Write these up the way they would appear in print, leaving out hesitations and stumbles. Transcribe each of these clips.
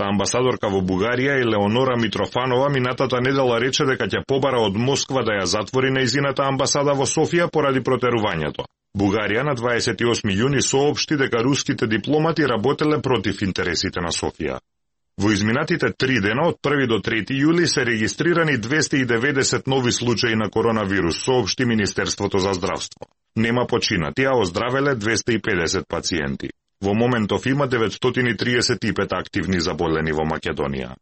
руската амбасадорка во Бугарија Елеонора Митрофанова минатата недела рече дека ќе побара од Москва да ја затвори нејзината амбасада во Софија поради протерувањето. Бугарија на 28 јуни соопшти дека руските дипломати работеле против интересите на Софија. Во изминатите 3 дена од 1 до 3 јули се регистрирани 290 нови случаи на коронавирус, соопшти Министерството за здравство. Нема починати, а оздравеле 250 пациенти. Во моментов има 935 активни заболени во Македонија.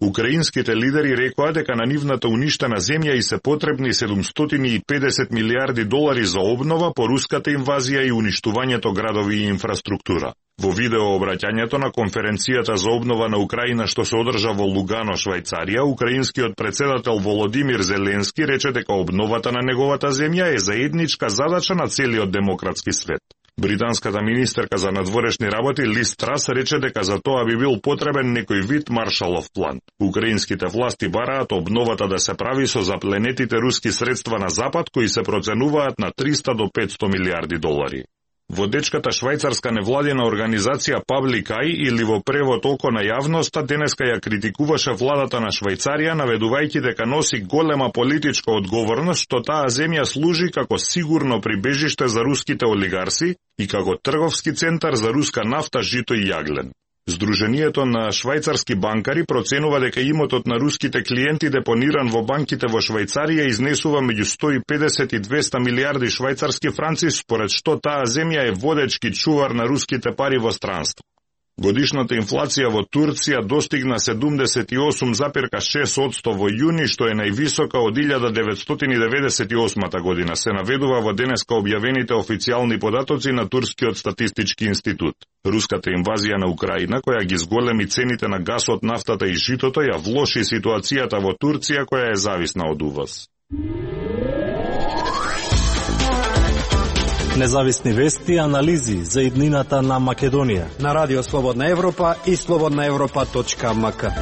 Украинските лидери рекоа дека на нивната уништена земја и се потребни 750 милиарди долари за обнова по руската инвазија и уништувањето градови и инфраструктура. Во видеообраќањето на конференцијата за обнова на Украина што се одржа во Лугано, Швајцарија, украинскиот председател Володимир Зеленски рече дека обновата на неговата земја е заедничка задача на целиот демократски свет. Британската министерка за надворешни работи Лиз Трас рече дека за тоа би бил потребен некој вид Маршалов план. Украинските власти бараат обновата да се прави со запленетите руски средства на Запад кои се проценуваат на 300 до 500 милиарди долари. Водечката швајцарска невладина организација Public Eye или во превод Око на јавноста денеска ја критикуваше владата на Швајцарија наведувајќи дека носи голема политичка одговорност што таа земја служи како сигурно прибежиште за руските олигарси и како трговски центар за руска нафта, жито и јаглен. Сдруженијето на швајцарски банкари проценува дека имотот на руските клиенти депониран во банките во Швајцарија изнесува меѓу 150 и 200 милиарди швајцарски франци, според што таа земја е водечки чувар на руските пари во странство. Годишната инфлација во Турција достигна 78,6% во јуни, што е највисока од 1998 година, се наведува во денеска објавените официјални податоци на Турскиот статистички институт. Руската инвазија на Украина, која ги зголеми цените на гасот, нафтата и житото, ја влоши ситуацијата во Турција, која е зависна од увоз. Независни вести и анализи за иднината на Македонија на Радио Слободна Европа и slobodnaevropa.mk.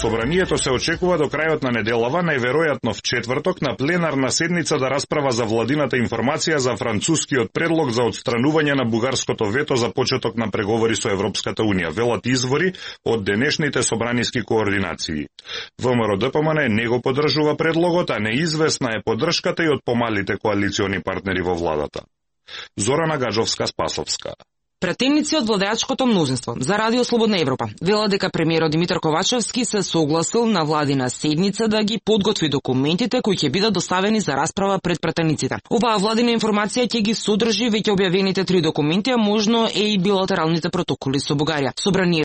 Собранието се очекува до крајот на неделава, најверојатно в четврток, на пленарна седница да расправа за владината информација за францускиот предлог за отстранување на бугарското вето за почеток на преговори со Европската Унија, велат извори од денешните собраниски координации. ВМРО-ДПМН не го поддржува предлогот, а неизвестна е поддршката и од помалите коалициони партнери во владата. Зорана Гаджовска-Спасовска. Пратеници од владеачкото мнозинство за Радио Слободна Европа велат дека премиерот Димитар Ковачевски се согласил на владина седница да ги подготви документите кои ќе бидат доставени за расправа пред пратениците. Оваа владина информација ќе ги содржи веќе објавените 3 документи, а можно е и билатералните протоколи со Бугарија.